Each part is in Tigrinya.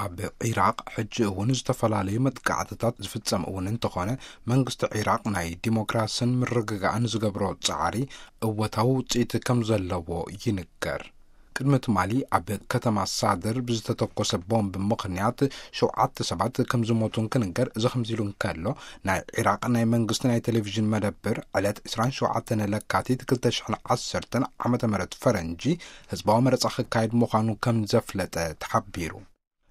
ኣብ ዒራቕ ሕጂ እውን ዝተፈላለዩ መጥቃዕትታት ዝፍጸም እውን እንተኾነ፣ መንግስቲ ዒራቕ ናይ ዲሞክራስን ምርግጋእን ዝገብሮ ጻዕሪ እወታዊ ውጽኢት ከም ዘለዎ ይንገር። ቅድሚ ትማሊ ኣብ ከተማ ሳድር ብዝተተኮሰ ቦምብ ምኽንያት ሸውዓተ ሰባት ከም ዝሞቱ እንክንገር፣ እዚ ከምዚ ኢሉ እንከሎ፣ ናይ ዒራቕ ናይ መንግስቲ ናይ ቴሌቪዥን መደብር ዕለት ዕስራን ሸውዓተን ለካቲት ክልተ ሽሕን ዓሰርተን ዓመተ ምህረት ፈረንጂ ህዝባዊ መረጻ ክካየድ ምዃኑ ከም ዘፍለጠ ተሓቢሩ።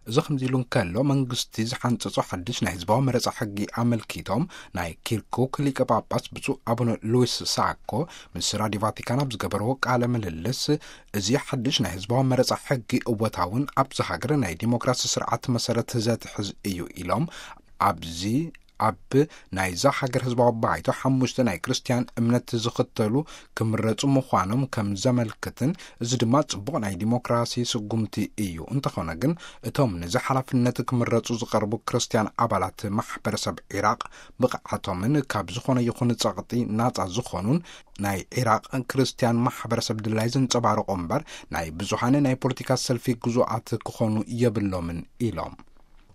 እዚ ከምዚ ኢሉ እንከሎ፣ መንግስቲ ዝሓንጸጾ ሓድሽ ናይ ህዝባዊ መረጻ ሕጊ ኣመልኪቶም ናይ ኪርኩክ ሊቀ ጳጳስ ብፁዕ ኣቡነ ሉዊስ ሳኮ ምስ ራዲዮ ቫቲካን ኣብ ዝገበርዎ ቃለ ምልልስ፣ እዚ ሓድሽ ናይ ህዝባዊ መረጻ ሕጊ እወታውን ኣብዚ ሃገር ናይ ዲሞክራሲ ስርዓት መሰረት ዘትሕዝ እዩ ኢሎም። ኣብዚ ኣብ ናይዛ ሃገር ህዝባዊ ባይቶ ሓሙሽተ ናይ ክርስትያን እምነት ዝኽተሉ ክምረጹ ምዃኖም ከም ዘመልክትን፣ እዚ ድማ ጽቡቕ ናይ ዲሞክራሲ ስጉምቲ እዩ። እንተኾነ ግን፣ እቶም ነዚ ሓላፍነት ክምረጹ ዝቐርቡ ክርስትያን ኣባላት ማሕበረሰብ ዒራቕ ብቕዓቶምን ካብ ዝኾነ ይኹን ጸቕጢ ናጻ ዝኾኑን ናይ ዒራቕ ክርስትያን ማሕበረሰብ ድላይ ዘንጸባርቑ እምበር፣ ናይ ብዙሓን ናይ ፖለቲካ ሰልፊ ግዙኣት ክኾኑ የብሎምን ኢሎም።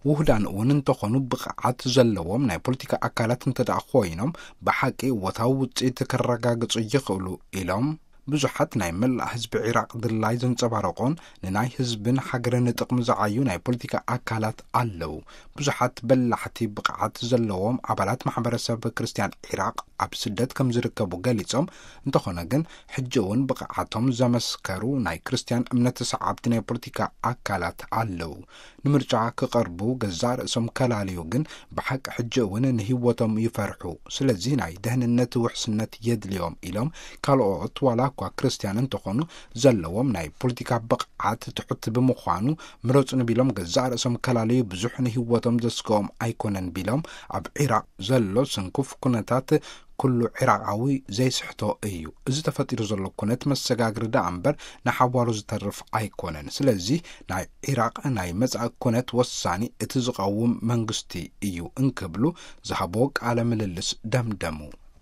ውህዳን እውን እንተኾኑ፣ ብቕዓት ዘለዎም ናይ ፖለቲካ ኣካላት እንተ ደኣ ኮይኖም፣ ብሓቂ እወታዊ ውጽኢት ከረጋግጹ ይኽእሉ ኢሎም። ብዙሓት ናይ መላእ ህዝቢ ዒራቕ ድላይ ዘንጸባረቑን ንናይ ህዝብን ሃገርን ጥቕሚ ዝዓዩ ናይ ፖለቲካ ኣካላት ኣለዉ። ብዙሓት በላሕቲ ብቕዓት ዘለዎም ኣባላት ማሕበረሰብ ክርስትያን ዒራቕ ኣብ ስደት ከም ዝርከቡ ገሊጾም፣ እንተኾነ ግን ሕጂ እውን ብቕዓቶም ዘመስከሩ ናይ ክርስትያን እምነት ሰዓብቲ ናይ ፖለቲካ ኣካላት ኣለዉ። ንምርጫ ክቐርቡ ገዛእ ርእሶም ከላልዩ ግን ብሓቂ ሕጂ እውን ንህይወቶም ይፈርሑ። ስለዚ ናይ ደህንነት ውሕስነት የድልዮም ኢሎም፣ ካልኦት ዋላ እኳ ክርስትያን እንተኾኑ ዘለዎም ናይ ፖለቲካ ብቕዓት ትሑት ብምዃኑ ምረጹ ንቢሎም ገዛእ ርእሶም ከላልዩ ብዙሕ ንህይወቶም ዘስግኦም ኣይኮነን ቢሎም፣ ኣብ ዒራቕ ዘሎ ስንኩፍ ኩነታት ኩሉ ዒራቓዊ ዘይስሕቶ እዩ። እዚ ተፈጢሩ ዘሎ ኩነት መሰጋግሪ ደኣ እምበር ንሓዋሩ ዝተርፍ ኣይኮነን። ስለዚ ናይ ዒራቕ ናይ መጻኢ ኩነት ወሳኒ እቲ ዝቐውም መንግስቲ እዩ እንክብሉ ዝሃቦ ቃለ ምልልስ ደምደሙ።